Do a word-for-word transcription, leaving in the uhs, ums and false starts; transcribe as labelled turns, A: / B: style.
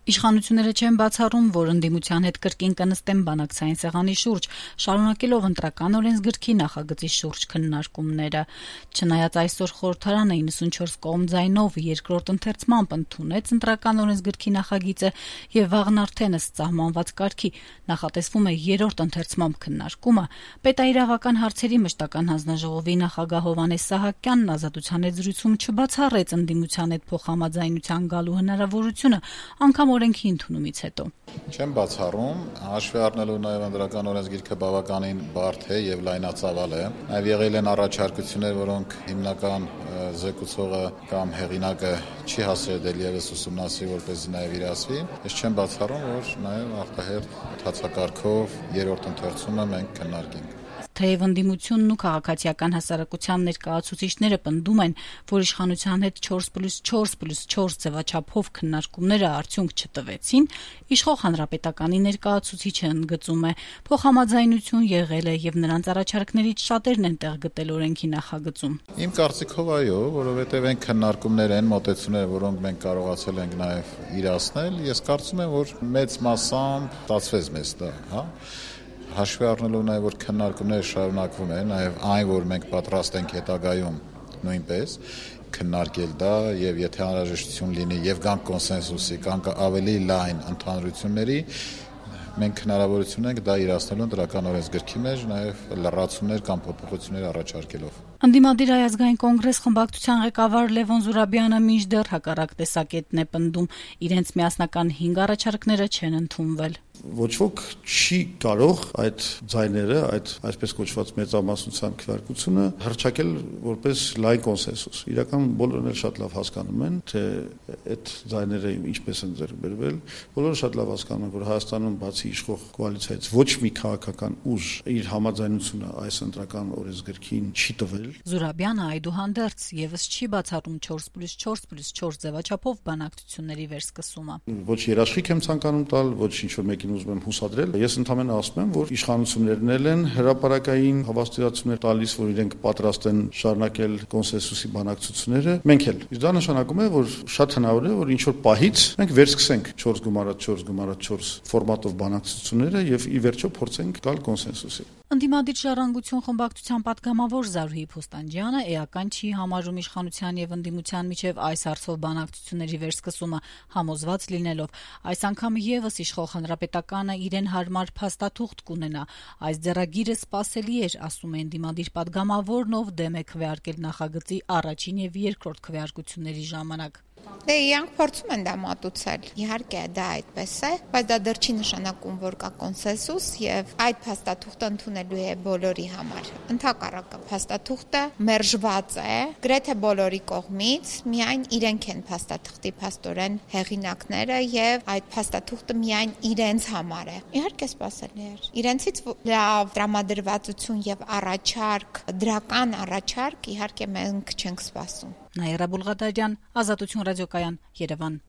A: Իշխանությունները չեն բացառում, որ ընդդիմության հետ կրկին կնստեն բանակցային սեղանի շուրջ, շարունակելով ընտրական օրենսգրքի նախագծի շուրջ քննարկումները։ Չնայած այսօր խորհրդարանը իննսունչորս կողմ ձայնով երկրորդ ընթերցմամբ ընդունեց ընտրական օրենսգրքի նախագիծը եւ վաղն արդեն ըստ սահմանված կարգի նախատեսվում է երրորդ ընթերցմամբ քննարկումը, պետաիրավական հարցերի մշտական հանձնաժողովի նախագահ Հովհաննես Սահակյանն Ազատության հետ զրույցում չբացառեց ընդդիմության հետ փոխհամաձայնության գալու հնարավորությունը, անգամ օրենքի ընդունումից հետո։
B: Չեմ բացառում, հաշվի առնելու նաև ընտրական օրենսգիրքը բավականին բարդ է եւ լայնածավալ է։ Նաև եղել են առաջարկություններ, որոնք հիմնական զեկուցողը կամ հեղինակը չի հասել դեռևս ուսումնասիրել, որպեսզի նաև իրացվի։ Ես չեմ բացառում, որ նաև ախտահերթ ընթացակարգով երրորդ ընթերցումը մենք քննարկենք։
A: Թեև ընդդիմությունն ու քաղաքացիական հասարակության ներկայացուցիչները պնդում են, որ իշխանության հետ չորս պլյուս չորս պլյուս չորս ձևաչափով քննարկումները արդյունք չտվեցին, իշխող հանրապետականի ներկայացուցիչը ընդգծում է, փոխհամաձայնություն եղել է եւ նրանց առաջարկներից շատերն են տեղ գտել օրենքի նախագծում։
B: Իմ կարծիքով այո, որովհետեւ այն քննարկումներ են, մոտեցումները, որոնք մենք կարողացել ենք նաեւ իրացնել, ես կարծում եմ, որ մեծ մասամբ ստացվեց մեզ դա, հա։ Հաշվի առնելով նաև որ քննարկումները շարունակվում են, նաև այն, որ մենք պատրաստ ենք հետագայում նույնպես քննարկել դա եւ եթե անհրաժեշտություն լինի եւ կան կոնսենսուսի, կան ավելի լայն ընդհանրությունների, մենք հնարավորություն ենք դա իրացնելու ընտրական օրենսգրքի մեջ, նաև լրացումներ կամ փոփոխություններ առաջարկելով։
A: Ընդդիմադիր Հայ-ազգային կոնգրես խմբակցության ղեկավար Լևոն Զուրաբյանը մինչդեռ հակառակ տեսակետն է պնդում, իրենց միասնական հինգ առաջարկները չեն ընդունվել։
C: Ոչ ոք չի կարող այդ ձայները, այդ այսպես կոչված մեծամասնության քվեարկությունը հռչակել որպես լայն կոնսենսուս։ Իրական բոլորն էլ շատ լավ հասկանում են, թե այդ ձայները ինչպես են ձեռք բերվել։ Բոլորը շատ լավ հասկանում են, որ Հայաստանում բացի իշխող կոալիցիայից ոչ մի քաղաքական ուժ իր համաձայնությունը այս ընտրական օրենսգրքին չի տվել։
A: Զուրաբյանը այդուհանդերձ եւս չի բացառում չորս պլյուս չորս պլյուս չորս ձևաչափով բանակցությունների վերսկսումը։
C: Ոչ երաշխիք եմ ցանկանում տալ, ոչ ինչ-որ մեկին ուզում եմ հուսադրել։ Ես ընդհանրապես ասում եմ, որ իշխանություններն են հրապարակային հավաստիացումներ տալիս, որ իրենք պատրաստ են շարունակել կոնսենսուսի բանակցությունները։ Մենք էլ։ Իսկ դա նշանակում է, որ շատ հնարավոր է, որ ինչ-որ պահից մենք վերսկսենք չորս գումարած չորս գումարած չորս ֆորմատով բանակցությունները եւ ի վերջո փորձենք գալ կոնսենսուսի։
A: Ընդդիմադիր ժառանգություն խմբակցության պատգամավոր Զարուհի Փոստանջյանը էական չի համարում իշխանության եւ ընդդիմության միջև այս հարցով բանակցությունների վերսկսումը, համոզված լինելով այս անգամ եւս իշխող հանրապետականը իրեն հարմար փաստաթուղթ կունենա։ Այս ձեռագիրը սպասելի էր, ասում է ընդդիմադիր պատգամավորն, ով դեմ է քվեարկել նախագծի առաջին եւ երկրորդ քվեարկությունների ժամանակ։
D: Դե իրանք փորձում են դա մատուցել։ Իհարկե դա այդպես է, բայց դա դեռ չի նշանակում, որ կա կոնսենսուս եւ այդ փաստաթուղթը ընդունելու է բոլորի համար։ Ընդհակառակը փաստաթուղթը մերժված է գրեթե բոլորի կողմից, միայն իրենք են փաստաթղթի փաստորեն հեղինակները եւ այդ փաստաթուղթը միայն իրենց համար է։ Իհարկե սպասելի էր։ Իրենցից լավ տրամադրվածություն եւ առաջարկ, դրական առաջարկ իհարկե մենք չենք սպասում։
A: Նաիրա Բուլղադարյան, Ազատություն ռադիոկայան, Երևան։